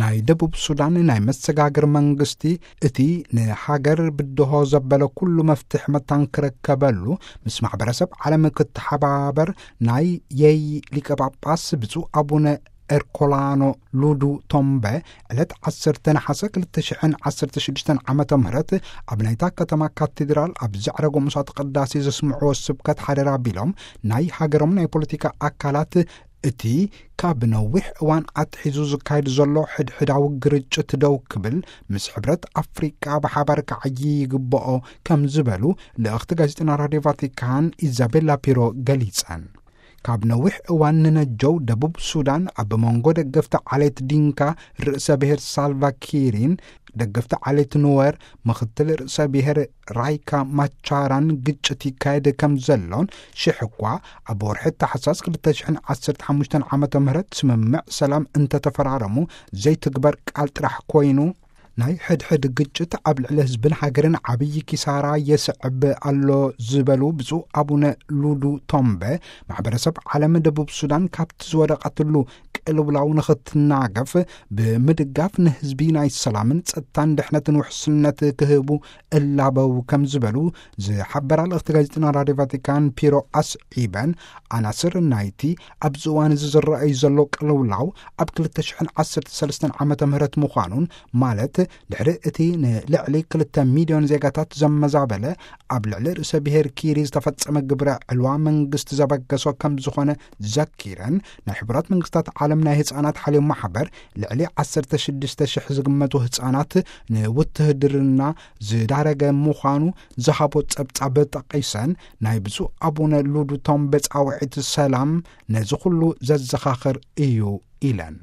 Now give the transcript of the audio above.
ናይ ደቡብ ሱዳን ናይ መሰጋገሪ መንግስቲ፣ እቲ ንሃገር ብድሆ ዘበለ ኩሉ መፍትሕ መታን ክረከበሉ፣ ምስ ማሕበረሰብ ዓለም ክትሓባበር፣ ናይ የይ ሊቀ ጳጳስ ብፁዕ ኣቡነ ኤርኮላኖ ሉዱ ቶምበ ዕለት ዓሰርተ ነሓሰ ክልተ ሽሕን ዓሰርተ ሽዱሽተን ዓመተ ምህረት ኣብ ናይታ ከተማ ካቴድራል ኣብ ዘዕረጎ ምሳት ቅዳሴ ዘስምዕዎ ስብከት ሓደራ ቢሎም፣ ናይ ሃገሮም ናይ ፖለቲካ ኣካላት እቲ ካብ ነዊሕ እዋን ኣትሒዙ ዝካየድ ዘሎ ሕድሕዳዊ ግርጭት ደው ክብል፣ ምስ ሕብረት ኣፍሪቃ ብሓባር ክዓዪ ይግብኦ ከም ዝበሉ ልእኽቲ ጋዜጠና ራድዮ ቫቲካን ኢዛቤላ ፒሮ ገሊጸን። ካብ ነዊሕ እዋን ንነጀው ደቡብ ሱዳን ኣብ መንጎ ደገፍቲ ዓሌት ዲንካ ርእሰ ብሔር ሳልቫ ኪሪን ደገፍቲ ዓሌት ኑወር ምኽትል ርእሰ ብሔር ራይካ ማቻራን ግጭት ይካየድ ከም ዘሎን፣ ሽሕ እኳ ኣብ ወርሒ ታሕሳስ ክልተ ሽሕን ዓሰርተ ሓሙሽተን ዓመተ ምህረት ስምምዕ ሰላም እንተተፈራረሙ ዘይትግበር ቃል ጥራሕ ኮይኑ፣ ናይ ሕድሕድ ግጭት ኣብ ልዕሊ ህዝብን ሃገርን ዓብዪ ኪሳራ የስዕብ ኣሎ ዝበሉ ብፁዕ ኣቡነ ሉዱ ቶምበ፣ ማሕበረሰብ ዓለም ደቡብ ሱዳን ካብቲ ዝወደቐትሉ ቅልውላው ንኽትናገፍ ብምድጋፍ ንህዝቢ ናይ ሰላምን ጸጥታን ድሕነትን ውሕስነት ክህቡ እላበው ከም ዝበሉ ዝሓበራ ልእኽቲ ጋዜጠና ራድዮ ቫቲካን ፒሮ ኣስዒበን፣ ኣናስር ናይቲ ኣብዚ እዋን እዚ ዝረኣዩ ዘሎ ቅልውላው ኣብ ክልተ ሽሕን ዓሰርተ ሰለስተን ዓመተ ምህረት ምዃኑን፣ ማለት ድሕሪ እቲ ንልዕሊ ክልተ ሚልዮን ዜጋታት ዘመዛበለ ኣብ ልዕሊ ርእሰ ብሔር ኪሪ ዝተፈጸመ ግብረ ዕልዋ መንግስቲ ዘበገሶ ከም ዝኾነ ዘኪረን፣ ናይ ሕቡራት መንግስታት ዓለም ናይ ህፃናት ሓልዮ ማሕበር ልዕሊ ዓሰርተ ሽዱሽተ ሽሕ ዝግመቱ ህፃናት ንውትህድርና ዝዳረገ ምዃኑ ዝሃቦ ጸብጻብ ጠቒሰን፣ ናይ ብፁዕ ኣቡነ ሉዱ ቶምበ ጻውዒት ሰላም ነዚ ኩሉ ዘዘኻኽር እዩ ኢለን።